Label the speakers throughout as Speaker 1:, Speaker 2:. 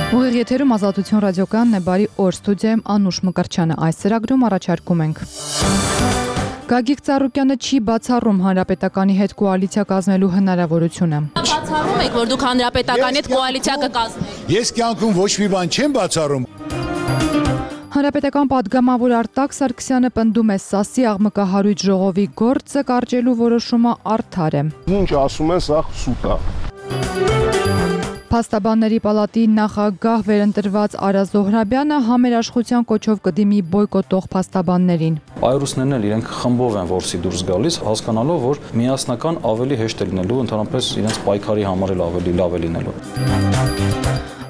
Speaker 1: Ուղիղ եթերում Ազատություն ռադիոկայանն է, բարի օր, ստուդիայում Անուշ Մկրտչյանը, այս ծրագրում առաջարկում ենք. Գագիկ Ծառուկյանը չի բացառում Հանրապետականի հետ կոալիցիա կազմելու հնարավորությունը։
Speaker 2: Բացառում եք, որ դուք Հանրապետականի հետ կոալիցիա կկազմեք։
Speaker 3: Ես կյանքում ոչ մի բան չեմ բացառում։
Speaker 1: Հանրապետական պատգամավոր Արտակ Սարգսյանը պնդում է Սասի աղմկահարույց ժողովի գործը կարճելու որոշումը արդար է։
Speaker 4: Ինչ ասում են, սա սուտ է։
Speaker 1: Փաստաբանների պալատի նախագահ վերընտրված Արա Զոհրաբյանը համերաշխության կոչով կդիմի բոյկոտող փաստաբաններին։
Speaker 5: Այրուսներն էլ իրենք խմբով են որսի դուրս գալիս, հասկանալով, որ միասնական ավելի հեշտ է լինելու, ընդհանրապես իրենց պայքարի համար էլ ավելի լավ է լինելու։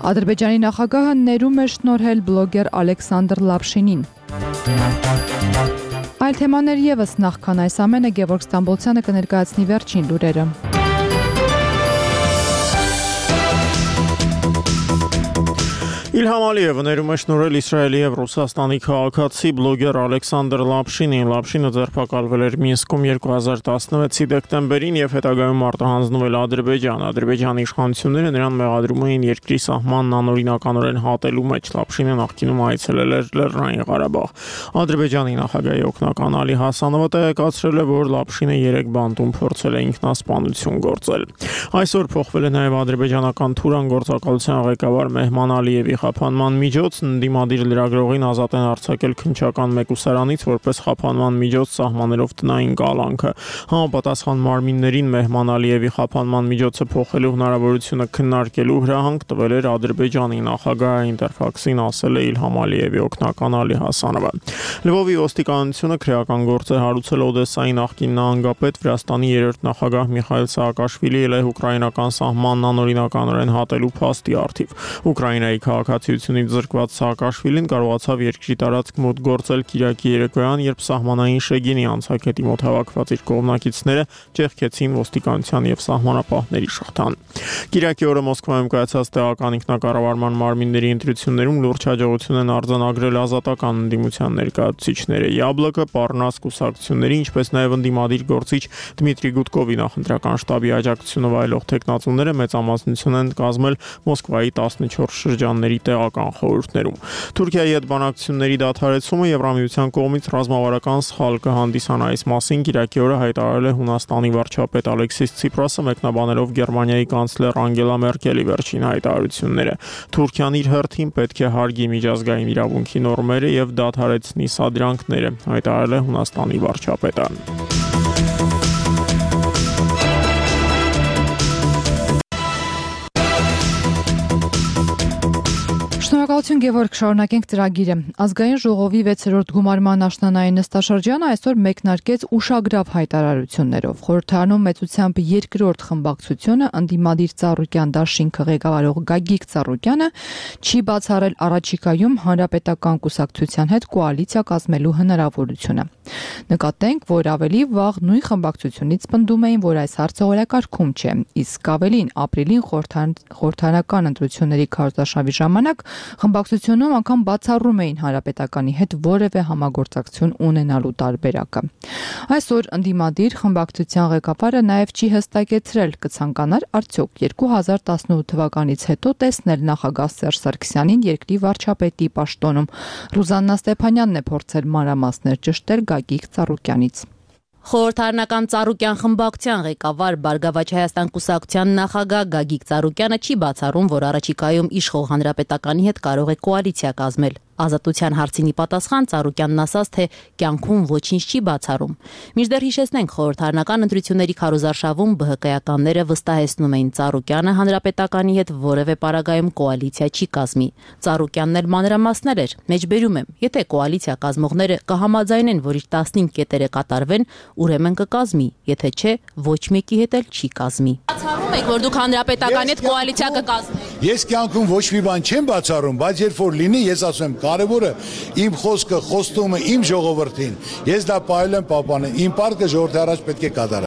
Speaker 1: Ադրբեջանի նախագահը ներում է շնորհել բլոգեր Ալեքսանդր Լապշինին։ Այլ թեմաներ ևս նախքան այս ամենը Գևորգ Ստամբոլցյանը կներկայացնի վերջին լուրերը։
Speaker 6: Իլհամ Ալիևը ներում է շնորհել Իսրայելի և Ռուսաստանի քաղաքացի բլոգեր Ալեքսանդր Լապշինին։ Լապշինը ձերբակալվել էր Մինսկում 2016-ի դեկտեմբերին և հետագայում արտահանձնվել Ադրբեջան։ Ադրբեջանի իշխանությունները նրան մեղադրում էին երկրի սահմանն անօրինականորեն հատելու մեջ։ Լապշինը նախկինում այցելել էր Լեռնային Ղարաբաղ։ Ադրբեջանի նախագահի օգնական Ալի Հասանովը տեղեկացրել է, որ Լապշինը 3 բանտում փորձել է ինքնասպանություն գործել։ Այսօր փոխվել է նաև ադրբեջանական Թուրան գործակալության ղեկավար Մեհման Ալիևի խափանման միջոցն ընդդիմադիր լրագրողին ազատ են արձակել քննչական մեկուսարանից որպես խափանման միջոց սահմանելով տնային կալանքը։ Համապատասխան մարմիններին Մեհման Ալիևի խափանման միջոցը փոխելու հնարավորությունը քննարկելու հրահանգ տվել էր Ադրբեջանի նախագահը, Ինտերֆաքսին ասել է Իլհամ Ալիևի օգնական Ալի Հասանովը։ Լվովի ոստիկանությունը քրեական գործ է հարուցել Օդեսայի նախկին նահանգապետ Վրաստանի 3-րդ նախագահ Միխայել Սաակաշվիլի ուկրաինական սահմանն անօրինականորեն հատելու փաստի առթիվ։ Ուկրաինայի քաղաքացիությունից զրկված Սաակաշվիլին կարողացավ երկրի տարածք մոտ գործել Կիրակի երեկոյան, երբ սահմանային Շեգինի անցակետի մոտ հավաքված իր կողմնակիցները ճեղքեցին ոստիկանության և սահմանապահների շղթան։ Կիրակի օրը Մոսկվայում կայացած տեղական ինքնակառավարման մարմինների ընտրություններում լուրջ հաջողություն են արձանագրել ազատական ընդդիմության ներկայացուցիչները։ Յաբլոկը, Պառնաս կուսակցությունների, ինչպես նաև ընդդիմադիր գործիչ Դմիտրի Գուդկովի նախընտրական շտաբի աջակցությունը վայելող թեկնածուները մեծամասնություն են կազմել Մոսկվայի 14 շրջանների տեղական խորհուրդներում։ Թուրքիայի հետ բանակցությունների դադարեցումը Եվրամիության կողմից ռազմավարական սխալ կհանդիսանա, այս մասին Կիրակի օրը հայտարարել է Հունաստանի վարչապետ Ալեքսիս Ցիպրասը, մեկնաբանելով Գերմանիայի կանցլեր Անգելա Մերկելի վերջին հայտարարությունները։ Թուրքիան իր հերթին պետք է հարգի միջազգային իրավունքի նորմերը և դադարեցնի սադրանքները, հայտարարել է Հունաստանի վարչապետը։
Speaker 1: Շնորհակալություն Գևորգ, շարունակենք ծրագիրը։ Ազգային ժողովի 6-րդ գումարման աշնանային նստաշրջանը այսօր մեկնարկեց ուշագրավ հայտարարություններով։ Խորհրդարանում մեծությամբ երկրորդ խմբակցությունը ընդդիմադիր Ծառուկյան դաշինքը ղեկավարող Գագիկ Ծառուկյանը չի բացառել առաջիկայում հանրապետական կուսակցության հետ կոալիցիա կազմելու հնարավորությունը։ Նկատենք, որ ավելի վաղ նույն խմբակցությունից պնդում էին, որ այս հարցը օրակարգում չէ, իսկ ավելին ապրիլին խորհրդարանական ընտրությունների քարոզարշավի ժամանակ խմբակցությունում անգամ բացառում էին հանրապետականի հետ որևէ համագործակցություն ունենալու տարբերակը։ Այսօր ընդդիմադիր խմբակցության ղեկավարը նաև չի հստակեցրել կցանկանար արդյոք 2018 թվականից հետո տեսնել նախագահ Սերժ Սարգսյանին երկրի վարչապետի պաշտոնում։ Ռուզաննա Ստեփանյանն է փորձել մանրամասներ ճշտել Գագիկ Ծառուկյանից։
Speaker 2: Խորհրդարանական Ծառուկյան խմբակցության ղեկավար Բարգավաճ Հայաստան կուսակցության նախագահ Գագիկ Ծառուկյանը չի բացառում, որ առաջիկայում իշխող հանրապետականի հետ կարող է կոալիցիա կազմել։ Ազատության հարցինի պատասխան Ծառուկյանն ասաց, թե կյանքում ոչինչ չի բացառում։ Մինչդեռ հիշեցնենք, խորհրդարանական ընտրությունների քարոզարշավում ԲՀԿ-ականները վստահեցնում էին Ծառուկյանը հանրապետականի հետ որևէ պարագայում կոալիցիա չի կազմի։ Ծառուկյանն էլ մանրամասներ էր, մեջբերում եմ, եթե կոալիցիա կազմողները կհամաձայնեն, որ իր 15 կետերը կատարվեն, ուրեմն կկազմի, եթե չէ, ոչ մեկի հետ էլ չի կազմի։ Բացառում եք, որ դուք հանրապետականի հետ կոալիցիա կկազմեք։
Speaker 3: Ես կյանքում ոչ մի բան չեմ բացառում, բայց երբ որ լինի, ես ասում եմ, կարևորը իմ խոսքը, խոստումը իմ ժողովրդին, ես դա պահել եմ պահպանել, իմ պարտքը ժողովրդի առաջ պետք է կատարել։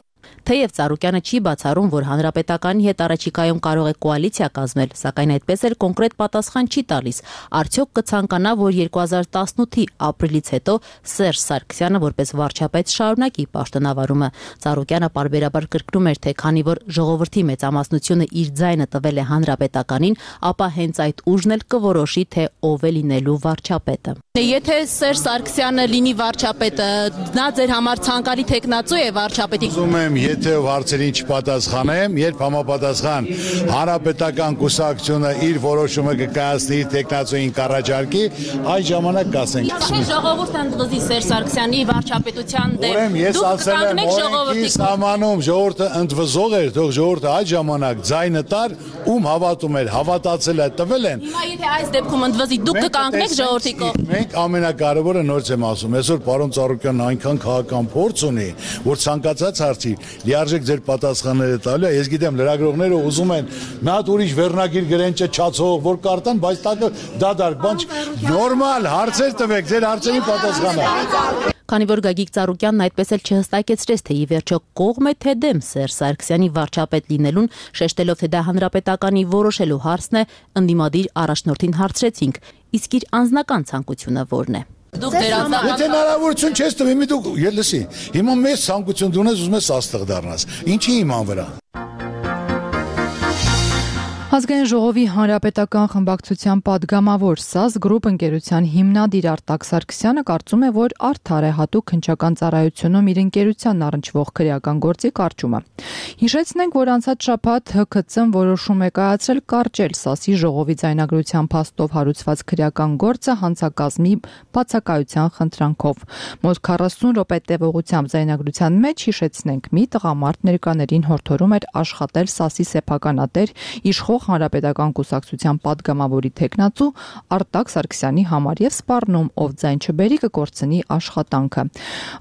Speaker 2: Թեև Ծառուկյանը չի բացառում, որ Հանրապետականի հետ առաջիկայում կարող է կոալիցիա կազմել, սակայն այդպես էլ կոնկրետ պատասխան չի տալիս։ Արդյոք կցանկանա, որ 2018-ի ապրիլից հետո Սերժ Սարգսյանը որպես վարչապետ շարունակի պաշտոնավարումը։ Ծառուկյանը պարբերաբար կրկնում էր, թե քանի որ ժողովրդի մեծամասնությունը իր ձայնը տվել է Հանրապետականին, ապա հենց այդ ուժն էլ կորոշի, թե ով է լինելու վարչապետը։ Եթե Սերժ Սարգսյանը լինի վարչապետը, նա ձեր համար ցանկալի տեխնացու է վարչապետի։
Speaker 3: Ուզում եմ, եթե հարցերին չպատասխանեմ, երբ համապատասխան Հանրապետական կուսակցությունը իր որոշումը կկայացնի իր տեխնացուին կառաջարկի, այդ ժամանակ կասենք։
Speaker 2: Ժողովուրդը ընդվզի Սերժ Սարգսյանի վարչապետության դեմ։
Speaker 3: Ուրեմն ես ասել եմ, օրենքի սահմանում ժողովուրդը ընդվզող էր, թող ժողովուրդը այդ ժամանակ ձայնը տար, ում հավատում էր, հավատացել է, տվել են։
Speaker 2: Հիմա եթե այս դեպքում ընդվզի, դուք կկանգնեք ժողովրդի կողմ։
Speaker 3: Մենք ամենակարևորը նորից եմ ասում, այսօր պարոն Ծառուկյանն այնքան քաղաքական փորձ ունի, որ ցանկացած հարցի լիարժեք ձեր պատասխանները տալու է։ Ես գիտեմ, լրագրողները ուզում են մի հատ ուրիշ վերնագիր գրեն չչացող, որ կարտան, բայց դադարք, բան նորմալ հարցեր տվեք, ձեր հարցերին պատասխանեք։
Speaker 2: Քանի որ Գագիկ Ծառուկյանն այդպես էլ չհստակեցրեց, թե ի վերջո կողմ է թե դեմ Սերժ Սարգսյանի վարչապետ լինելուն, շեշտելով, թե դա Հանրապետականի որոշելու հարցն է, ընդդիմադիր առաջնորդին հարցրեցինք, իսկ իր անձնական ցանկությունը ո՞րն է։ Դուք դեր անձնական
Speaker 3: Եթե հնարավորություն չես տվի, դու լսի, հիմա մեծ ցանկություն դու ունես, ուզում ես աստղ դառնաս։ Ինչի իման վրա։
Speaker 1: Ազգային ժողովի հանրապետական խմբակցության падգամավոր ՍԱԶ գրուպ ընկերության հիմնադիր Արտակ Սարգսյանը կարծում է, որ արդար է հատուկ հնչական ծառայությունում իր ընկերությանն առնչվող քրեական գործի կարճումը։ Հիշեցնենք, որ անցած շաբաթ ՀՔՑ-ն որոշում է կայացրել կարճել ՍԱՍ-ի ժողովի ձայնագրության փաստով հարուցված քրեական գործը հանցակազմի բացակայության խնդրանքով։ Մոտ 40 րոպե տևողությամբ ձայնագրության մեջ հիշեցնենք, մի տղամարդ ներկաներին հորդորում էր աշխատել ՍԱՍ-ի սեփականատեր իշխող Հանրապետական կուսակցության падգամավորի տեխնացու Արտակ Սարգսյանի համար եւ սպառնում, ով ձայն չբերի կկորցնի աշխատանքը։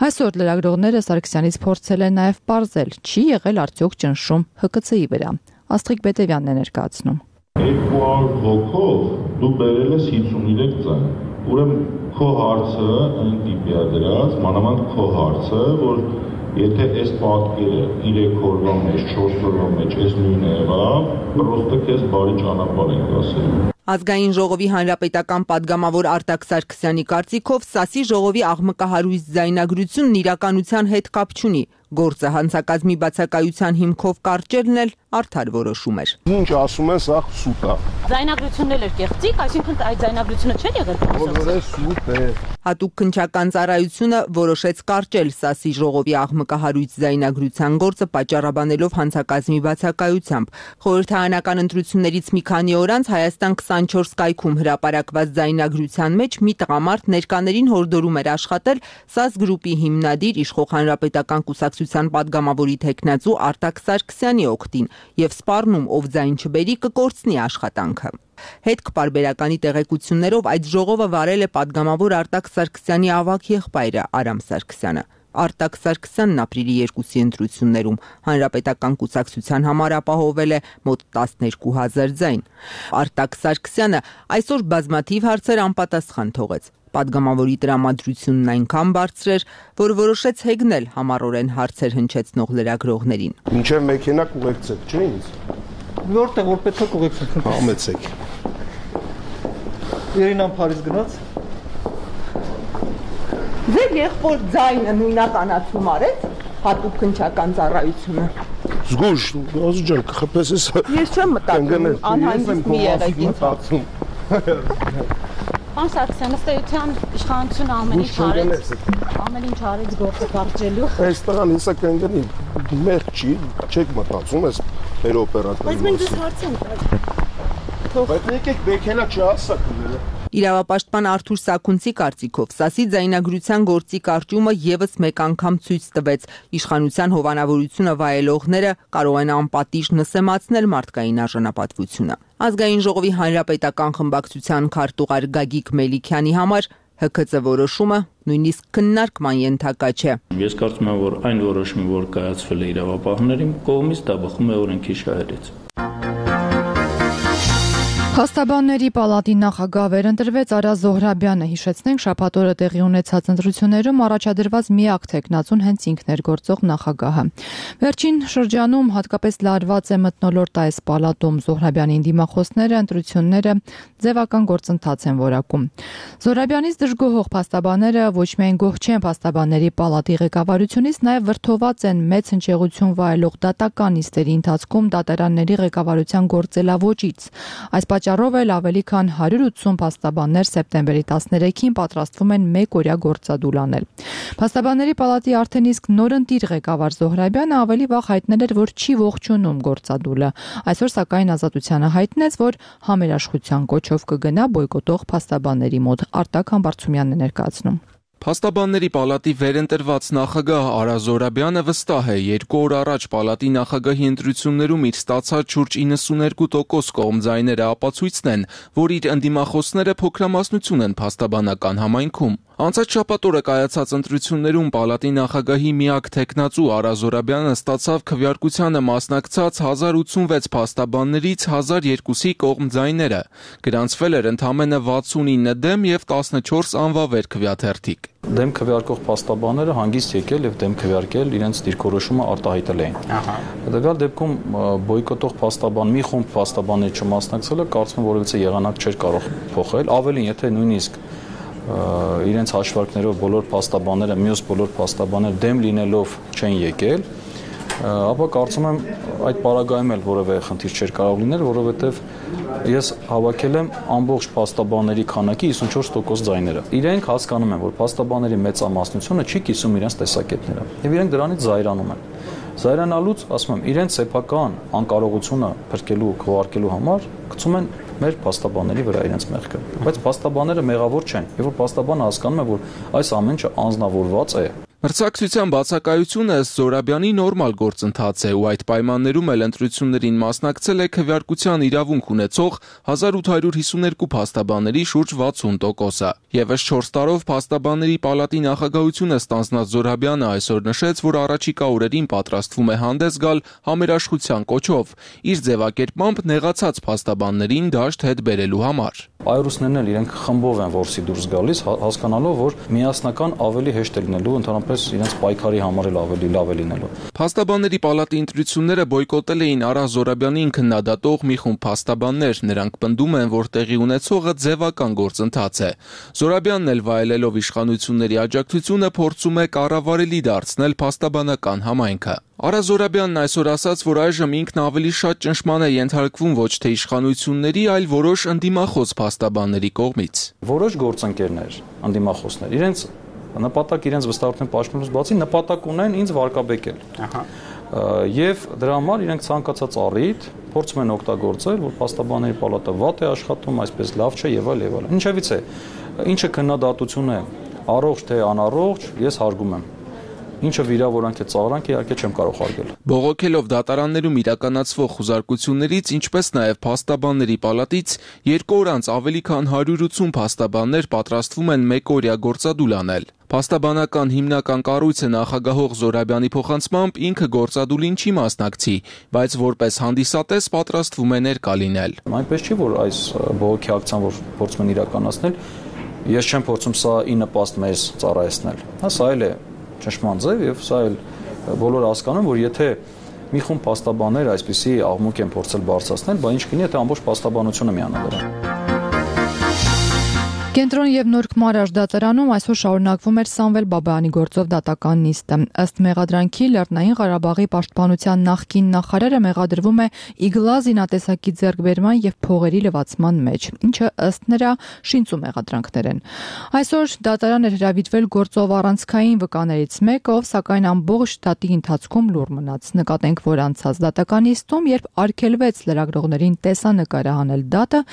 Speaker 1: Այսօր լրագրողները Սարգսյանից փորձել են նաեւ պարզել, չի եղել արդյոք ճնշում ՀԿՑ-ի վրա։ Աստղիկ Բետևյանն է ներկայացնում։
Speaker 7: 200 հոգով դու բերել ես 53 ձայն։ Ուրեմն քո հարցը այն տիպի է դրած, մանավանդ քո հարցը, որ եթե այս պատկերը 3 օրվա մեջ, 4 օրվա մեջ այս նույնը եղավ, պրոստը քեզ բարի ճանապարհ ենք ասել։
Speaker 8: Ազգային ժողովի հանրապետական падգամավոր Արտակ Սարգսյանի կարծիքով ՍԱՍ-ի ժողովի աղմկահարույց ձայնագրությունն իրականության հետ կապ չունի։ Գործը հանցակազմի բացակայության հիմքով կարճելն էլ արդար որոշում էր։
Speaker 4: Ինչ ասում են, սա սուտ է։
Speaker 2: Ձայնագրությունն էլ էր կեղծիկ, այսինքն այդ ձայնագրությունը չէր եղել։
Speaker 4: Բոլորը սուտ է։
Speaker 8: Հատուկ քննչական ծառայությունը որոշեց կարճել ՍԱՍ-ի ժողովի աղմկահարույց ձայնագրության գործը պատճառաբանելով հանցակազմի բացակայությամբ։ Խորհրդարանական ընտրություններից մի քանի օր անց Հայաստան 24 կայքում հրապարակված ձայնագրության մեջ մի տղամարդ ներկաներին հորդորում էր աշխատել ՍԱՍ գրուպի հիմնադիր իշխող Հանրապետական կուսակցության падգամավորի տեխնացու Արտակ Սարգսյանի օգտին եւ սպառնում, ով ձայն չբերի կկորցնի աշխատանքը։ Հետք պարբերականի տեղեկություններով այդ ժողովը վարել է падգամավոր Արտակ Սարգսյանի ավագ եղբայրը Արամ Սարգսյանը։ Արտակ Սարգսյանն ապրիլի 2-ի ընտրություններում Հանրապետական կուսակցության համար ապահովել է մոտ 12000 ձայն։ Արտակ Սարգսյանը այսօր բազմաթիվ հարցեր անպատասխան թողեց։ Падգամավորի տրամադրությունն այնքան բարձր էր, որ որոշեց հեգնել համառորեն հարցեր հնչեցնող լրագրողներին։
Speaker 4: Մինչև մեքենա կուղեկցեք, չէ՞ ինձ։
Speaker 9: Որտեղ որ պետք է կուղեկցեք։
Speaker 4: Համեցեք։
Speaker 9: Երինան Փարիզ գնաց։
Speaker 8: Ձեր եղբոր ձայնը նույնականացում արեց հատուկ քննչական ծառայությունը։
Speaker 4: Զգուշ, Ազու ջան, կխփես ես։
Speaker 8: Ես չեմ մտածում, անհանգիստ մի եղեք ինձ։
Speaker 2: Պարոն Սարգսյան, ըստ էության իշխանությունը ամեն ինչ արեց գործը կարճելու։
Speaker 4: Այս տղան հեսա կընկնի, մեղ չի, չեք մտածում ես մեր օպերատորի։
Speaker 2: Բայց մենք դες հարց ենք տալիս։
Speaker 4: Բայց եկեք մեքենա չասակ։
Speaker 8: Իրավապաշտպան Արթուր Սաքունցի կարծիքով ՍԱՍ-ի ձայնագրության գործի կարճումը եւս մեկ անգամ ցույց տվեց իշխանության հովանավորությունը վայելողները կարող են անպատիժ նսեմացնել մարդկային արժանապատվությունը։ Ազգային ժողովի հանրապետական խմբակցության քարտուղար Գագիկ Մելիքյանի համար ՀՔՑ որոշումը նույնիսկ քննարկման ենթակա չէ։
Speaker 10: Ես կարծում եմ, որ այն որոշումը, որ կայացվել է իրավապահների կողմից, դա բխում է օրենքի շահերից։
Speaker 1: Փաստաբանների պալատի նախագահ վերընտրվեց Արա Զոհրաբյանը, հիշեցնենք շաբաթ օրը տեղի ունեցած ընտրություններում առաջադրված միակ թեկնածուն հենց ինքն էր գործող նախագահը։ Վերջին շրջանում հատկապես լարված է մթնոլորտ այս պալատում Զոհրաբյանին դիմախոսները ընտրությունները ձևական գործընթաց են որակում։ Զոհրաբյանից դժգոհող փաստաբանները ոչ միայն գոհ չեն փաստաբանների պալատի ղեկավարությունից, նաև վրդոված են մեծ հնչեղություն վայելող դատական նիստերի ընթացքում դատարանների ղեկավարության գործելավոճից։ Այս պատճառով էլ ավելի քան 180 փաստաբաններ սեպտեմբերի 13-ին պատրաստվում են մեկօրյա գործադուլ անել։ Փաստաբանների պալատի արդեն իսկ նորընտիր ղեկավար Զոհրաբյանը ավելի վաղ հայտնել էր, որ չի ողջունում գործադուլը։ Այսօր սակայն Ազատությանը հայտնեց, որ համերաշխության կոչով կգնա բոյկոտող փաստաբանների մոտ։ Արտակ Համբարձումյանն է ներկայացնում։
Speaker 11: Փաստաբանների պալատի վերընտրված նախագահ Արա Զոհրաբյանը վստահ է, 2 օր առաջ պալատի նախագահի ընտրություններում իր ստացած շուրջ 92% կողմձայները ապացույցն են, որ իր ընդդիմախոսները փոքրամասնություն են փաստաբանական համայնքում։ Անցած շաբաթ օրը կայացած ընտրություններում պալատի նախագահի միակ թեկնածու Արա Զոհրաբյանը ստացավ քվեարկությանը մասնակցած 1086 փաստաբաններից 1002-ի կողմձայները։ Գրանցվել էր ընդամենը 69 դեմ եւ 14 անվավեր քվեաթերթիկ։
Speaker 5: Դեմ քվեարկող փաստաբանները հանգիստ եկել եւ դեմ քվեարկել իրենց դիրքորոշումը արտահայտել էին։ Հետեւյալ դեպքում բոյկոտող փաստաբան մի խումբ փաստաբաններ չմասնակցելը կարծում եմ որևիցե եղանակ չէր կարող փոխել, ավելին եթե նույնիսկ իրենց հաշվարկներով բոլոր փաստաբանները, մյուս բոլոր փաստաբանները դեմ լինելով չեն եկել, ապա կարծում եմ այդ պարագայում էլ որևէ խնդիր չէր կարող լինել, որովհետև ես հավաքել եմ ամբողջ փաստաբանների քանակի 54% ձայները։ Իրենք հասկանում են, որ փաստաբանների մեծամասնությունը չի կիսում իրենց տեսակետները, եւ իրենք դրանից զայրանում են։ Զայրանալուց, ասում եմ, իրենց սեփական անկարողությունը փրկելու, քվեարկելու համար գցում են մեր փաստաբանների վրա իրենց մեղքը։ Բայց փաստաբանները մեղավոր չեն, եւ որ փաստաբանը հասկանում է, որ այս ամեն ինչը անձնավորված է։
Speaker 11: Մրցակցության բացակայությունը ըստ Զոհրաբյանի նորմալ գործընթաց է ու այդ պայմաններում էլ ընտրություններին մասնակցել է քվեարկության իրավունք ունեցող 1852 փաստաբանների շուրջ 60%-ը։ Եվս 4 տարով փաստաբանների պալատի նախագահությունը ստանձնած Զոհրաբյանը այսօր նշեց, որ առաջիկա օրերին պատրաստվում է հանդես գալ համերաշխության կոչով, իր ձևակերպմամբ նեղացած փաստաբաններին դաշտ հետ բերելու համար։
Speaker 5: Այրուսներն էլ իրենք խմբով են որսի դուրս գալիս, հասկանալով, որ միասնական ավելի հեշտ է լինելու, ընդհանրապես իրենց պայքարի համար էլ ավելի լավ է լինելու։
Speaker 11: Փաստաբանների պալատի ընտրությունները բոյկոտել էին Արա Զոհրաբյանին քննադատող մի խումբ փաստաբաններ, նրանք պնդում են, որ տեղի ունեցողը ձևական գործընթաց է։ Զոհրաբյանն էլ վայելելով իշխանությունների աջակցությունը փորձում է կառավարելի դարձնել փաստաբանական համայնքը։ Արա Զոհրաբյանն այսօր ասաց, որ այժմ ինքն ավելի շատ ճնշման է ենթարկվում ոչ թե իշխանությունների, այլ որոշ ընդդիմախոս փաստաբանների կողմից։
Speaker 5: Որոշ գործընկերներ, ընդդիմախոսներ, իրենց նպատակ իրենց վստահության պաշտպանելուց բացի նպատակ ունեն ինձ վարկաբեկել։ Եվ դրա համար իրենք ցանկացած առիթ փորձում են օգտագործել, որ փաստաբանների պալատը վատ է աշխատում, այսպես լավ չէ եւ այլ եւ այլ։ Ինչևից է, ինչը քննադատություն է, առողջ թե անառողջ, ես հարգում եմ։ Ինչը վիրավորանք է, ծաղրանք է, իհարկե չեմ կարող հարգել։
Speaker 11: Բողոքելով դատարաններում իրականացվող խուզարկություններից, ինչպես նաև փաստաբանների պալատից 2 օր անց ավելի քան 180 փաստաբաններ պատրաստվում են մեկօրյա գործադուլ անել։ Փաստաբանական հիմնական կառույցը նախագահող Զոհրաբյանի փոխանցմամբ ինքը գործադուլին չի մասնակցի, բայց որպես հանդիսատես պատրաստվում է ներկա լինել։
Speaker 5: Այնպես չի, որ այս բողոքի ակցիան, որ փորձում են իրականացնել, ես չեմ փորձում սա ի նպաստ մեզ ծառայեցնել։ Սա էլ է ճշմարտ ձև եւ սա էլ բոլորը հասկանում, որ եթե մի խումբ փաստաբաններ այսպիսի աղմուկ են փորձել բարձրացնել, բա ինչ կլինի, եթե ամբողջ փաստաբանությունը միանա դրան։
Speaker 1: Կենտրոն եւ Նորք Մարաշ դատարանում այսօր շարունակվում էր Սամվել Բաբայանի գործով դատական նիստը։ Ըստ մեղադրանքի Լեռնային Ղարաբաղի պաշտպանության նախկին նախարարը մեղադրվում է իգլա զինատեսակի ձեռքբերման եւ փողերի լվացման մեջ, ինչը ըստ նրա շինծու մեղադրանքներ են։ Այսօր դատարան էր հրավիրվել գործով առանցքային վկաներից մեկը, ով սակայն ամբողջ դատի ընթացքում լուռ մնաց։ Նկատենք, որ անցած դատական նիստում, երբ արգելվեց լրագրողներին տեսանկարը հանել դատը,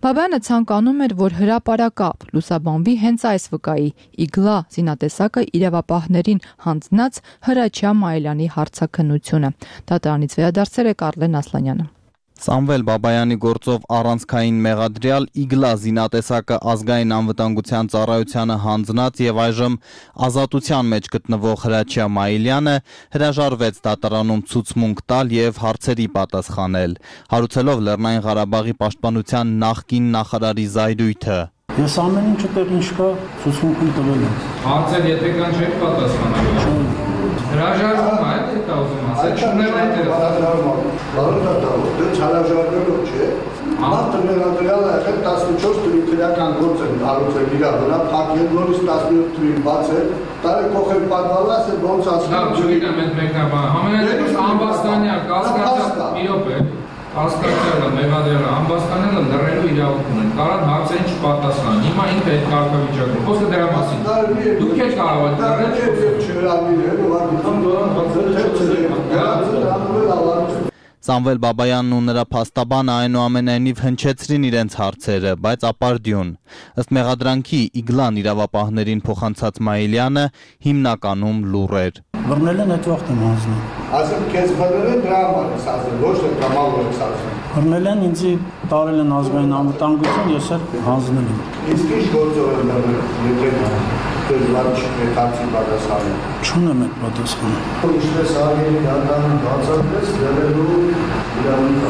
Speaker 1: Բաբայանը ցանկանում էր, որ հրապարակա լուսաբանվի հենց այս վկայի իգլա զինատեսակը իրավապահներին հանձնած Հրաչյա Մայլյանի հարցաքննությունը։ Դատարանից վերադարձել է Կարլեն Ասլանյանը։
Speaker 12: Սամվել Բաբայանի գործով առանցքային մեղադրյալ Իգլա զինատեսակը ազգային անվտանգության ծառայությանը հանձնած եւ այժմ ազատության մեջ գտնվող Հրաչյա Մայիլյանը հրաժարվեց դատարանում ցուցմունք տալ եւ հարցերի պատասխանել, հարուցելով Լեռնային Ղարաբաղի պաշտպանության նախկին նախարարի զայրույթը։
Speaker 13: Ես ամեն ինչ դեռ ինչ կա ցուցմունքում տվել եմ։ Հարցեր եթե կան չեք պատասխանել։ Հրաժարվում է, դա ուզում ասել, չունել այդ հրաժարվում։
Speaker 4: Դե հրաժարվելով չէ։ Մարդը մեղադրյալ է եղել 14 թվականի քրեական գործ են արարել իր վրա, փակել նորից 17 թվականին բացել, տարի կողել պատվալած է ոնց ասում։ Լավ, չգիտեմ այդ մեկնաբանը։ Համենայնիվ անվաստանյա կասկածյալ մի րոպե։ Կասկածյալը, մեղադրյալը, անվաստանյալը լռելու իրավունք ունեն, կարան հարցերին չպատասխանեն, հիմա ինքը այդ կարգավիճակում, խոսքը դրա մասին, դուք եք կարող եք լռել։
Speaker 12: Սամվել Բաբայանն ու նրա փաստաբանը այնուամենայնիվ հնչեցրին իրենց հարցերը, բայց ապարդյուն։ Ըստ մեղադրանքի Իգլան իրավապահներին փոխանցած Մայիլյանը հիմնականում լուռ էր։
Speaker 13: Բռնել են այդ վաղտ եմ հանձնում։
Speaker 4: Ասեմ, քեզ բռնել են դրա համար ես ասել, ոչ թե կամավոր ես ասել։
Speaker 13: Բռնել են, ինձ տարել են ազգային անվտանգություն, ես էլ հանձնել եմ։
Speaker 4: Իսկ ինչ գործով են բռնել, եթե դժվար չկարծի պատասխանը։
Speaker 13: Չունեմ այդ պատասխանը։
Speaker 4: Ինչպես արգելի դատարանը բացատրեց, դեռելու իրավունք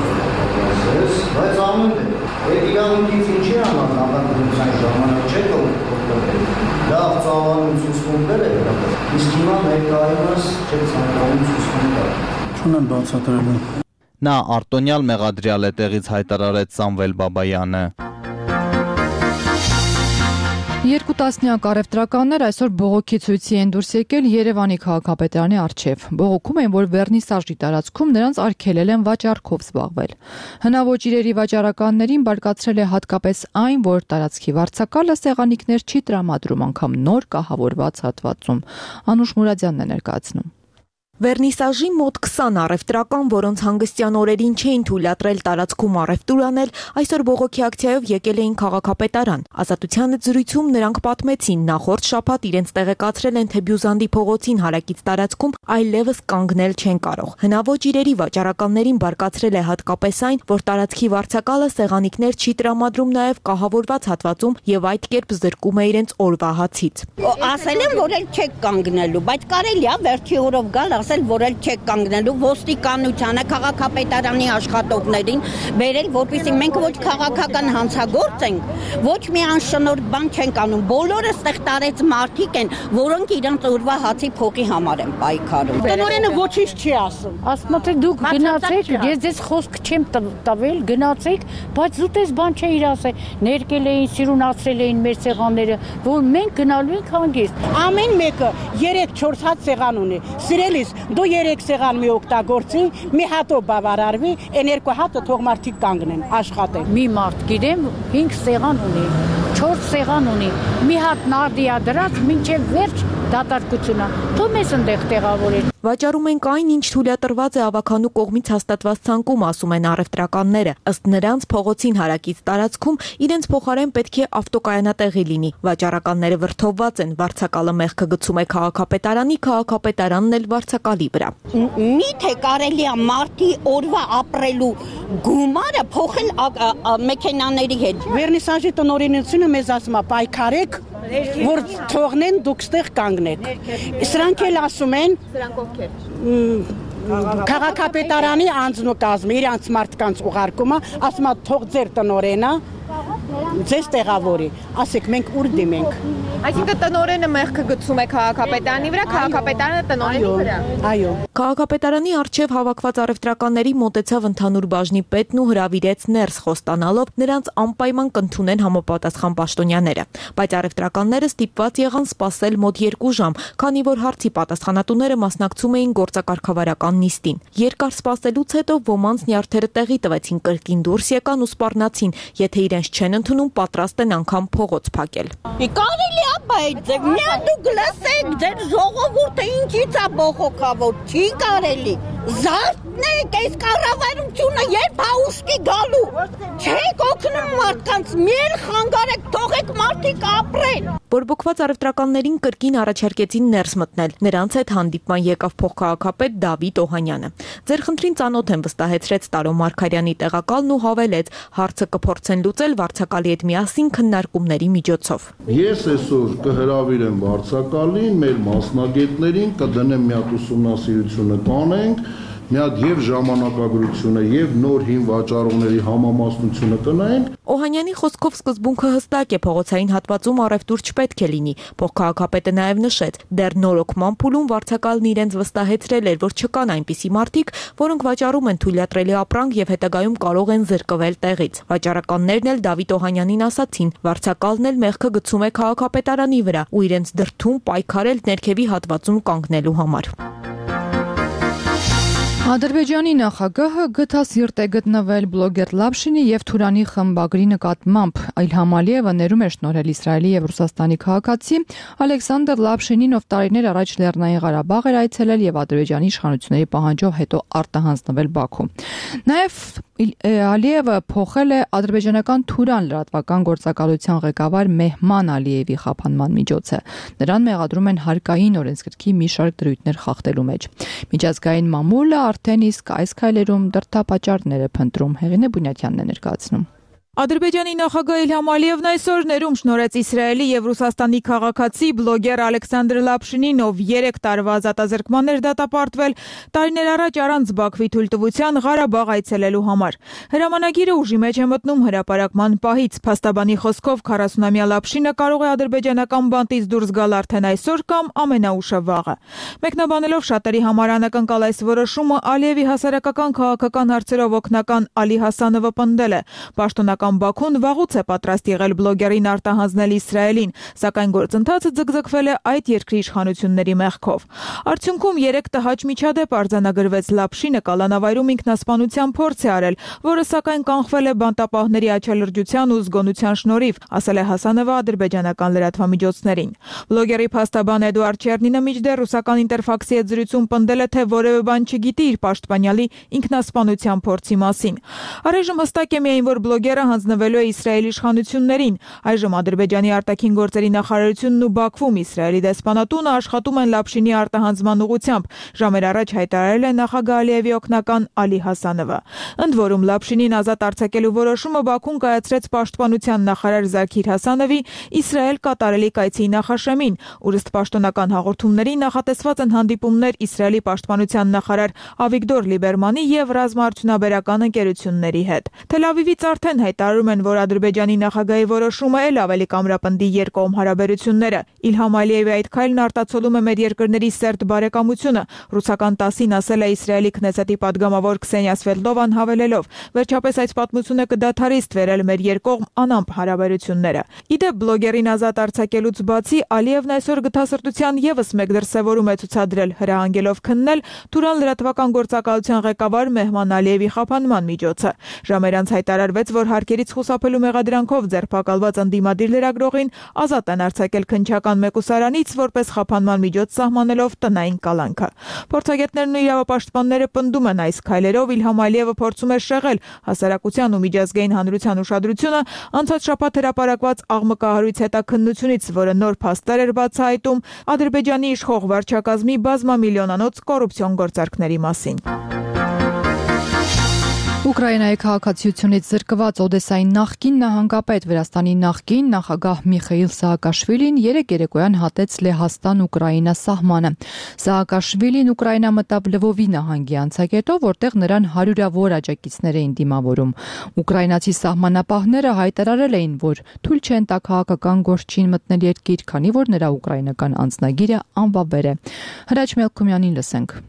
Speaker 4: բայց ամեն դեպքում այդ իրավունքից ինչի համար նախաքննության ժամանակ չէ օգտվել։ Լավ ծավալուն ցուցմունքներ է գրել, իսկ հիմա ներկայումս չէ ցանկանում ցուցմունք տալ։
Speaker 13: Չունեմ բացատրելու։
Speaker 12: Նա արտոնյալ մեղադրյալ է տեղից հայտարարեց Սամվել Բաբայանը։
Speaker 1: Երկու տասնյակ առևտրականներ այսօր բողոքի ցույցի են դուրս եկել Երևանի քաղաքապետարանի առջև։ Բողոքում են, որ վերնիսաժի տարածքում նրանց արգելել են վաճառքով զբաղվել։ Հնաոճ իրերի վաճառականներին բարկացրել է հատկապես այն, որ տարածքի վարձակալը սեղանիկներ չի տրամադրում անգամ նոր կահավորված հատվածում։ Անուշ Մուրադյանն է ներկայացնում։
Speaker 14: Վերնիսաժի մոտ 20 առևտրական, որոնց հանգստյան օրերին չէին թույլատրել տարածքում առևտուր անել, այսօր բողոքի ակցիայով եկել էին քաղաքապետարան։ Ազատության զրույցում նրանք պատմեցին, նախորդ շաբաթ իրենց տեղեկացրել են, թե Բյուզանդի փողոցին հարակից տարածքում այլևս կանգնել չեն կարող։ Հնաոճ իրերի վաճառականներին բարկացրել է հատկապես այն, որ տարածքի վարձակալը սեղանիկներ չի տրամադրում նաև կահավորված հատվածում եւ այդ կերպ զրկում է իրենց օրվա հացից։
Speaker 15: Ասել են, որ էլ չեք կանգնելու, բայց կարելի է վերջի օրով գալ որ էլ չեք կանգնելու ոստիկանությանը, քաղաքապետարանի աշխատողներին բերել, որպեսզի մենք ոչ քաղաքական հանցագործ ենք, ոչ մի անշնորհ բան չենք անում։ Բոլորը ստեղ տարեց մարդիկ են, որոնք իրանց օրվա հացի փողի համար են պայքարում։
Speaker 16: Տնօրենը ոչինչ չի ասում։
Speaker 17: Ասում է դուք գնացեք, ես ձեզ խոսք չեմ տվել, գնացեք, բայց զուտես բան չէիր ասել։ Ներկել էին, սիրունացրել էին մեր սեղանները, որ մենք գնալու ենք հանգիստ։
Speaker 16: Ամեն մեկը 3-4 հատ սեղան ունի։ Սիրելիս դու 3 սեղան մի օգտագործի, մի հատով բավարարվի, այն 2 հատը թող մարդիկ կանգնեն, աշխատեն։
Speaker 17: Մի մարդ գիտեմ 5 սեղան ունի, 4 սեղան ունի, մի հատ նարդիա դրած մինչև վերջ դատարկությունա։ Թող մեզ ընդեղ տեղավորեն։
Speaker 14: Վաճառում ենք այն, ինչ թույլատրված է ավականու կողմից հաստատված ցանկում, ասում են առևտրականները։ Ըստ նրանց փողոցին հարակից տարածքում իրենց փոխարեն պետք է ավտոկայանատեղի լինի։ Վաճառականները վրդովված են, վարձակալը մեղքը գցում է քաղաքապետարանի, քաղաքապետարանն էլ վարձակալի վրա։
Speaker 15: Միթե կարելի է մարդի օրվա ապրելու գումարը փոխել մեքենաների հետ։
Speaker 16: Վերնիսաժի տնօրինությունը մեզ ասում է պայքարեք, որ թողնեն դուք ստեղ կանգնեք։ Սրանք էլ ասում են քաղաքապետարանի անձնակազմը իրանց մարդկանց ուղարկումը, ասում է թող ձեր տնօրենը ձեզ տեղավորի, ասեք մենք ուր դիմենք։
Speaker 14: Այսինքն տնօրենը մեղքը գցում է քաղաքապետարանի վրա, քաղաքապետարանը տնօրենի վրա։
Speaker 16: Այո։
Speaker 14: Քաղաքապետարանի առջև հավաքված առևտրականների մոտեցավ ընդհանուր բաժնի պետն ու հրավիրեց ներս խոստանալով նրանց անպայման կընդունեն համապատասխան պաշտոնյաները։ Բայց առևտրականները ստիպված եղան սպասել մոտ 2 ժամ, քանի որ հարցի պատասխանատուները մասնակցում էին գործակարգավարական նիստին։ Երկար սպասելուց հետո ոմանց նյարդերը տեղի տվեցին, կրկին դուրս եկան ու սպառնացին, եթե իրենց չեն ընդունում, պատրաստ են անգամ փողոց փակել։
Speaker 15: Կարելի է բայց միա դուք լսեք, ձեր ժողովուրդը ինչից է բողոքավոր, չի կարելի։ Զարթնեք, այս կառավարությունը երբ հաուսկի գալու։ Չեք օգնում մարդկանց, մեր խանգարեք, թողեք մարդիկ ապրեն։
Speaker 14: Բորբոքված առևտրականներին կրկին առաջարկեցին ներս մտնել։ Նրանց հետ հանդիպման եկավ փոխքաղաքապետ Դավիթ Օհանյանը։ Ձեր խնդրին ծանոթ են, վստահեցրեց Տարո Մարգարյանի տեղակալն ու հավելեց, հարցը կփորձեն լուծել վարձակալի հետ միասին քննարկումների միջոցով։
Speaker 7: Ես այսօր կհրավիրեմ վարձակալին, մեր մասնագետներին, կդնեմ մի հատ ուսումնասիրությունը կանենք, մի հատ եւ ժամանակագրությունը եւ նոր հին վաճառողների համամասնությունը տնային։
Speaker 14: Օհանյանի խոսքով սկզբունքը հստակ է, փողոցային հատվածում առևտուր չպետք է լինի։ Փոխքաղաքապետը նաեւ նշեց, դեռ նորոգման փուլում վարձակալն իրենց վստահեցրել էր, որ չկան այնպիսի մարդիկ, որոնք վաճառում են թույլատրելի ապրանք եւ հետագայում կարող են զրկվել տեղից։ Վաճառականներն էլ Դավիթ Օհանյանին ասացին, վարձակալն էլ մեղքը գցում է քաղաքապետարանի վրա ու իրենց դրդում պայքարել ներքևի հատվածում կանգնելու համար։
Speaker 1: Ադրբեջանի նախագահը գթասիրտ է գտնվել բլոգեր Լապշինի եւ Թուրանի խմբագրի նկատմամբ։ Իլհամ Ալիևը ներում է շնորհել Իսրայելի եւ Ռուսաստանի քաղաքացի Ալեքսանդր Լապշինին, ով տարիներ առաջ Լեռնային Ղարաբաղ էր այցելել եւ Ադրբեջանի իշխանությունների պահանջով հետո արտահանձնվել Բաքու։ Նաեւ Ալիևը փոխել է ադրբեջանական Թուրան լրատվական գործակալության ղեկավար Մեհման Ալիևի խափանման միջոցը։ Նրան մեղադրում են հարկային օրենսգրքի մի շարք դրույթներ խախտելու մեջ։ Միջազգային մամուլը արդեն իսկ այս քայլերում դրդապատճառներ է փնտրում։ Հեղինե Բունյատյանն է ներկայացնում։
Speaker 18: Ադրբեջանի նախագահ Իլհամ Ալիևն այսօր ներում շնորհեց Իսրայելի եւ Ռուսաստանի քաղաքացի բլոգեր Ալեքսանդր Լապշինին, ով 3 տարվա ազատազրկման էր դատապարտվել տարիներ առաջ առանց Բաքվի թույլտվության Ղարաբաղ այցելելու համար։ Հրամանագիրը ուժի մեջ է մտնում հրապարակման պահից։ Փաստաբանի խոսքով 40-ամյա Լապշինը կարող է ադրբեջանական բանտից դուրս գալ արդեն այսօր կամ ամենաուշը վաղը։ Մեկնաբանելով շատերի համար անակնկալ այս որոշումը, Ալիևի հասարակական քաղաքական հարցերով օգնական Ալի Հասանովը պնդել է. Պաշտոնական Բաքուն վաղուց է պատրաստ եղել բլոգերին արտահանձնել Իսրայելին, սակայն գործընթացը ձգձգվել է այդ երկրի իշխանությունների մեղքով։ Արդյունքում 3 տհաճ միջադեպ արձանագրվեց Լապշինը կալանավայրում ինքնասպանության փորձ է արել, որը սակայն կանխվել է բանտապահների աչալրջության ու զգոնության շնորհիվ, ասել է Հասանովը ադրբեջանական լրատվամիջոցներին։ Բլոգերի փաստաբան Էդուարդ Չերնինը մինչդեռ ռուսական Ինտերֆաքսի հետ զրույցում պնդել է, թե որևէ բան չգիտի իր պաշտպանյալի ինքնասպանության փորձի մասին։ Առայժմ հստակ է միայն, որ բլոգերը հանձնվելու է Իսրայելի իշխանություններին։ Այժմ Ադրբեջանի արտաքին գործերի նախարարությունն ու Բաքվում Իսրայելի դեսպանատունը աշխատում են Լապշինի արտահանձնման ուղղությամբ, ժամեր առաջ հայտարարել է նախագահ Ալիևի օգնական Ալի Հասանովը։ Ընդ որում Լապշինին ազատ արձակելու որոշումը Բաքուն կայացրեց պաշտպանության նախարար Զաքիր Հասանովի Իսրայել կատարելի կայցի նախաշեմին, ուր ըստ պաշտոնական հաղորդումների նախատեսված են հանդիպումներ Իսրայելի պաշտպանության նախարար Ավիգդոր Լիբերմանի եւ ռազմաարդյունաբերական ընկերությունների հետ։ Թել Ավիվից արդեն հայտարարում են, որ Ադրբեջանի նախագահի որոշումը էլ ավելի կամրապնդի երկկողմ հարաբերությունները։ Իլհամ Ալիևի այդ քայլն արտացոլում է մեր երկրների սերտ բարեկամությունը։ Ռուսական ՏԱՍ-ին ասել է Իսրայելի Քնեսետի падգամավոր Քսենիա Սվետլովան հավելելով. վերջապես այս պատմությունը կդադարի ստվերել մեր երկկողմ անամպ հարաբերությունները։ Իդեպ բլոգերին ազատ արձակելուց բացի Ալիևն այսօր գթասրտության եւս մեկ դրսևորում է ցուցադրել, հրահանգելով քննել Թուրան լրատվական գործակալության ղեկավար Մեհման Ալիևի խափանման միջոցը։ Ժամեր անց հայտարարվեց, որ հարկերից խուսափելու մեղադրանքով ձերբակալված ընդդիմադիր լրագրողին ազատ են արձակել քննչական մեկուսարանից, որպես խափանման միջոց սահմանելով տնային կալանքը։ Փորձագետներն ու իրավապաշտպանները պնդում են այս քայլերով Իլհամ Ալիևը փորձում է շեղել հասարակության ու միջազգային հանրության ուշադրությունը անցած շաբաթ հրապարակված աղմկահարույց հետաքննությունից, որը նոր փաստեր էր բացահայտում Ադրբեջանի իշխող վարչակազմի բազմամիլիոնանոց կոռուպցիոն գործարքների մասին։
Speaker 1: Ուկրաինայի քաղաքացիությունից զրկված Օդեսայի նախկին նահանգապետ Վրաստանի նախկին նախագահ Միխեիլ Սահակաշվիլին երեկ երեկոյան հատեց Լեհաստան-Ուկրաինա սահմանը։ Սահակաշվիլին Ուկրաինա մտավ Լվովի նահանգի անցակետով, որտեղ նրան հարյուրավոր աջակիցներ էին դիմավորում։ Ուկրաինացի սահմանապահները հայտարարել էին, որ թույլ չեն տա քաղաքական գործչին մտնել երկիր, քանի որ նրա ուկրաինական անձնագիրը անվավեր է։ Հրաչ Մելքումյանին լսենք։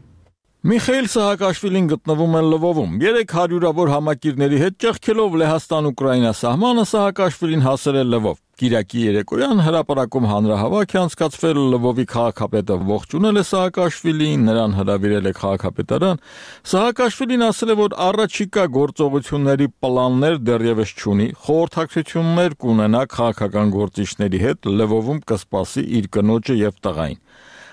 Speaker 6: Միխեիլ Սահակաշվիլին գտնվում է Լվովում։ 300-ավոր համակիրների հետ ճեղքելով Լեհաստան-Ուկրաինա սահմանը Սահակաշվիլին հասել է Լվով։ Կիրակի երեկոյան հրապարակում հանրահավաք է անցկացվել, Լվովի քաղաքապետը ողջունել է Սահակաշվիլին, նրան հրավիրել է քաղաքապետարան։ Սահակաշվիլին ասել է, որ առաջիկա գործողությունների պլաններ դեռևս չունի, խորհրդակցություններ կունենա քաղաքական գործիչների հետ, Լվովում կսպասի իր կնոջը եւ տղային։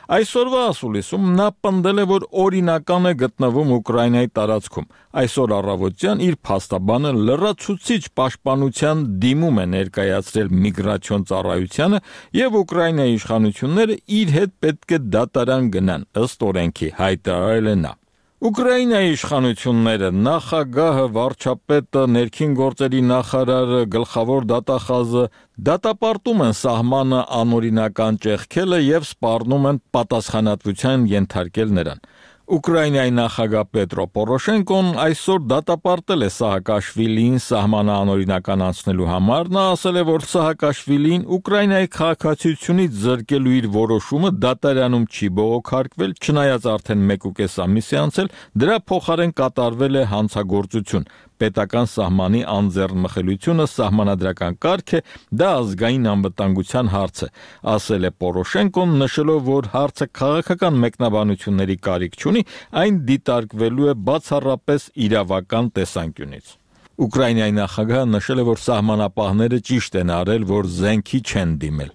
Speaker 19: Այսօրվա ասուլիսում նա պնդել է, որ օրինական է գտնվում Ուկրաինայի տարածքում։ Այսօր առավոտյան իր փաստաբանը լրացուցիչ պաշտպանության դիմում է ներկայացրել միգրացիոն ծառայությանը եւ Ուկրաինայի իշխանությունները իր հետ պետք է դատարան գնան, ըստ օրենքի, հայտարարել է նա։ Ուկրաինայի իշխանությունները, նախագահը, վարչապետը, ներքին գործերի նախարարը, գլխավոր դատախազը դատապարտում են սահմանը անօրինական ճեղքելը եւ սպառնում են պատասխանատվության ենթարկել նրան։ Ուկրաինայի նախագահ Պետրո Պորոշենկոն այսօր դատապարտել է Սահակաշվիլիին սահմանը անօրինական անցնելու համար։ Նա ասել է, որ Սահակաշվիլին Ուկրաինայի քաղաքացիությունից զրկելու իր որոշումը դատարանում չի բողոքարկվել, չնայած արդեն 1.5 ամիս է անցել, դրա փոխարեն կատարվել է հանցագործություն։ Պետական սահմանի անձեռնմխելիությունը սահմանադրական կարգ է, դա ազգային անվտանգության հարց է, ասել է Պորոշենկոն, նշելով, որ հարցը քաղաքական մեկնաբանությունների կարիք չունի, այն դիտարկվելու է բացառապես իրավական տեսանկյունից։ Ուկրաինայի նախագահը նշել է, որ սահմանապահները ճիշտ են արել, որ զենքի չեն դիմել։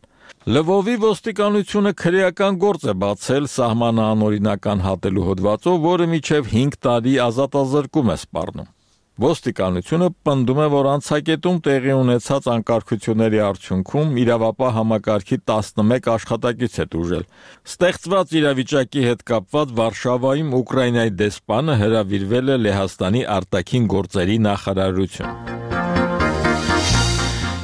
Speaker 19: Լվովի ոստիկանությունը քրեական գործ է բացել սահմանը անօրինական հատելու հոդվածով, որը մինչև 5 տարի ազատազրկում է սպառնում։ Ոստիկանությունը պնդում է, որ անցակետում տեղի ունեցած անկարգությունների արդյունքում իրավապահ համակարգի 11 աշխատակից է տուժել։ Ստեղծված իրավիճակի հետ կապված Վարշավայում Ուկրաինայի դեսպանը հրավիրվել է Լեհաստանի արտաքին գործերի նախարարություն։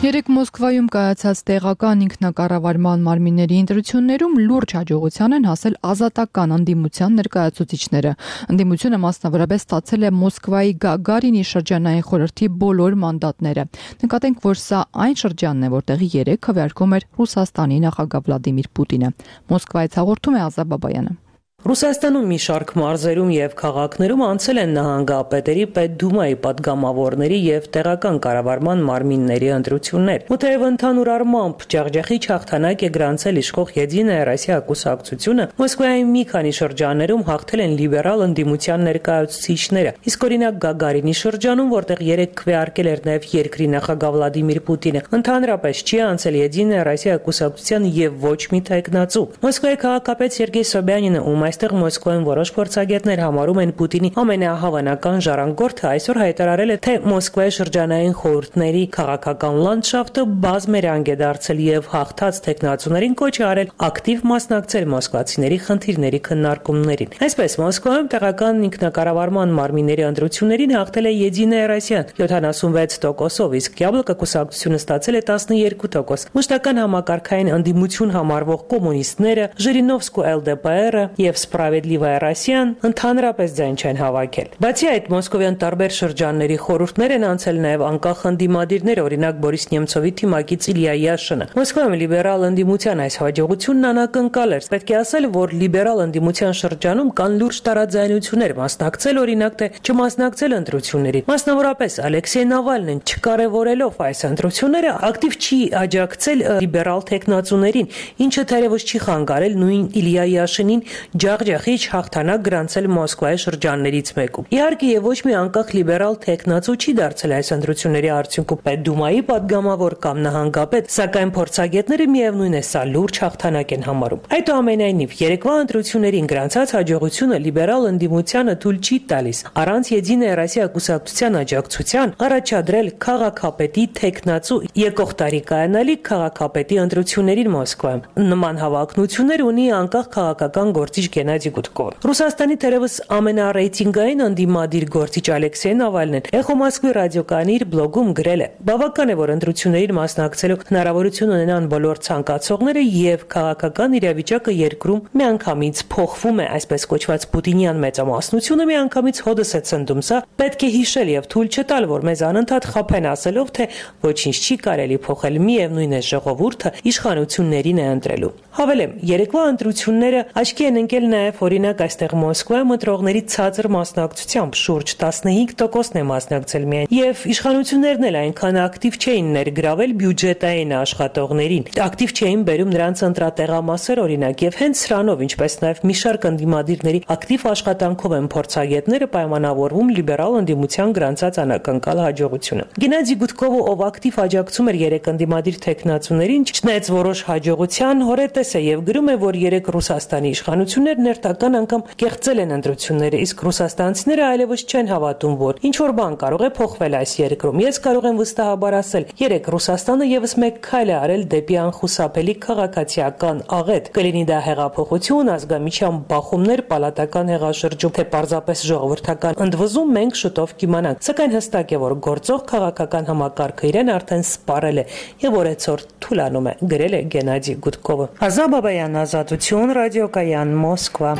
Speaker 1: Երեկ Մոսկվայում կայացած տեղական ինքնակառավարման մարմինների ընտրություններում լուրջ հաջողության են հասել ազատական ընդդիմության ներկայացուցիչները։ Ընդդիմությունը մասնավորապես ստացել է Մոսկվայի Գագարինի շրջանային խորհրդի բոլոր մանդատները։ Նկատենք, որ սա այն շրջանն է, որտեղի երեկ քվեարկում էր Ռուսաստանի նախագահ Վլադիմիր Պուտինը։ Մոսկվայից հաղորդում է Ազա Բաբայանը։
Speaker 20: Ռուսաստանում մի շարք մարզերում եւ քաղաքներում անցել են նահանգապետերի, պետդումայի պատգամավորների եւ տեղական կառավարման մարմինների ընտրություններ։ Ու թեև ընդհանուր առմամբ ջախջախիչ հաղթանակ է գրանցել իշխող Եդինայա Ռոսիա կուսակցությունը, Մոսկվայի մի քանի շրջաններում հաղթել են լիբերալ ընդդիմության ներկայացուցիչները։ Իսկ օրինակ Գագարինի շրջանում, որտեղ երեք քվեարկել էր նաեւ երկրի նախագահ Վլադիմիր Պուտինը, ընդհանրապես չի անցել Եդինայա Ռոսիա կուսակցության եւ ոչ մի տեխնացու։ Մոսկվայի քաղաքապետ Սերգեյ Սոբյանինը Այստեղ Մոսկվայում որոշ փորձագետներ համարում են Պուտինի ամենահավանական ժառանգորդը այսօր հայտարարել է, թե Մոսկվայի շրջանային խորհուրդների քաղաքական լանդշաֆտը բազմերանգ է դարձել եւ հաղթած տեխնացուներին կոչ է արել ակտիվ մասնակցել մոսկվացիների խնդիրների քննարկումներին։ Այսպես Մոսկվայում տեղական ինքնակառավարման մարմինների ընտրություններին հաղթել է Եդինայա Ռոսիան 76%-ով, իսկ Յաբլոկա կուսակցությունը ստացել է 12%։ Մշտական համակարգային ընդդիմություն համարվող կոմունիստները, Ժիրինովսկու ԼԴՊ-ը եւ Սպրավեդլիվայա Ռոսիան ընդհանրապես ձայն չեն հավաքել։ Բացի այդ, մոսկովյան տարբեր շրջանների խորհուրդներ են անցել նաեւ անկախ ընդդիմադիրներ, օրինակ Բորիս Նեմցովի թիմակից Իլիա Յաշինը։ Մոսկվայում լիբերալ ընդդիմության այս հաջողությունն անակնկալ էր։ Պետք է ասել, որ լիբերալ ընդդիմության շրջանում կան լուրջ տարաձայնություններ, մասնակցել օրինակ թե չմասնակցել ընտրություններին։ Մասնավորապես Ալեքսեյ Նավալնին չկարևորելով այս ընտրությունները ակտիվ չի աջակցել լիբերալ տեխնացուներին, ինչը թերևս չի խանգարել նույն Իլիա Յաշինին ջախջախիչ հաղթանակ գրանցել Մոսկվայի շրջաններից մեկում։ Իհարկե եւ ոչ մի անկախ լիբերալ տեխնացու չի դարձել այս ընտրությունների արդյունքում պետդումայի падգամավոր կամ նահանգապետ, սակայն փորձագետները միևնույն է սա լուրջ հաղթանակ են համարում։ Այդուամենայնիվ երեկվա ընտրություններին գրանցած հաջողությունը լիբերալ ընդդիմությանը թույլ չի տալիս առանց Եդինայա Ռոսիա կուսակցության աջակցության առաջադրել քաղաքապետի տեխնացու եկող տարի կայանալիք քաղաքապետի ընտրություններին Մոսկվայում։ Նման հավակնություններ ունի անկախ քաղաքական գործիչ Գենադի Գուդկովը։ Ռուսաստանի թերևս ամենառեյտինգային ընդդիմադիր գործիչ Ալեքսեյ Նավալնին Էխո Մոսկվի ռադիոկայանի իր բլոգում գրել է. «Բավական է, որ ընտրություններին մասնակցելու հնարավորություն ունենան բոլոր ցանկացողները եւ քաղաքական իրավիճակը երկրում միանգամից փոխվում է, այսպես կոչված Պուտինյան մեծամասնությունը միանգամից հոդս է ցնդում։ Սա պետք է հիշել եւ թույլ չտալ, որ մեզ անընդհատ խփեն ասելով, թե ոչինչ չի կարելի փոխել, միևնույն է ժողովուրդը իշխանություններին է ընտրելու»։ Հավելեմ, երեկվա ընտրությունները աչքի են ընկել նաև օրինակ այստեղ Մոսկվայում ընտրողների ցածր մասնակցությամբ շուրջ 15%-ն է մասնակցել միայն, եւ իշխանություններն էլ այնքան ակտիվ չէին ներգրավել բյուջետային աշխատողներին։ Ակտիվ չէին բերում նրանց ընտրատեղամասեր օրինակ, եւ հենց սրանով, ինչպես նաև մի շարք ընդդիմադիրների ակտիվ աշխատանքով են փորձագետները պայմանավորվում լիբերալ ընդդիմության գրանցած անակնկալ հաջողությունը։ Գենադի Գուդկովը, ով ակտիվ աջակցում էր երեք ընդդիմադիր թեկնածուներին, չնայած որոշ հաջողության, հորետես է եւ գրում է, որ երեք Ռուսաստանի իշխանություններն ներտական անգամ կեղծել են ընտրությունները, իսկ ռուսաստանցիները այլևս չեն հավատում, որ ինչ որ բան կարող է փոխվել այս երկրում։ Ես կարող եմ վստահաբար ասել, երեք Ռուսաստանը եւս մեկ քայլ է արել դեպի անխուսափելի քաղաքացիական աղետ։ Կլինի դա հեղափոխություն, ազգամիջյան բախումներ, պալատական հեղաշրջում, թե պարզապես ժողովրդական ընդվզում, մենք շուտով կիմանանք։ Սակայն հստակ է, որ գործող քաղաքական համակարգը իրեն արդեն սպառել է եւ օրեցօր թուլանում է, գրել է Գենադի Գուդկովը։ Ազատ Բաբայան, Ազատություն, ռադիոկայան, Մոսկվա։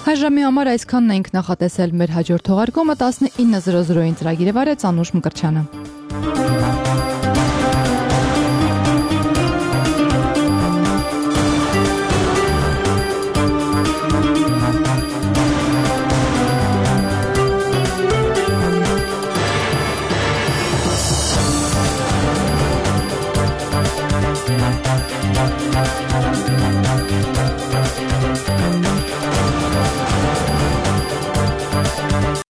Speaker 1: Այժմի համար այսքանն ենք նախատեսել մեր հաջորդ թողարկումը 19:00-ին ծրագիրը վարեց Անուշ Մկրտչյանը։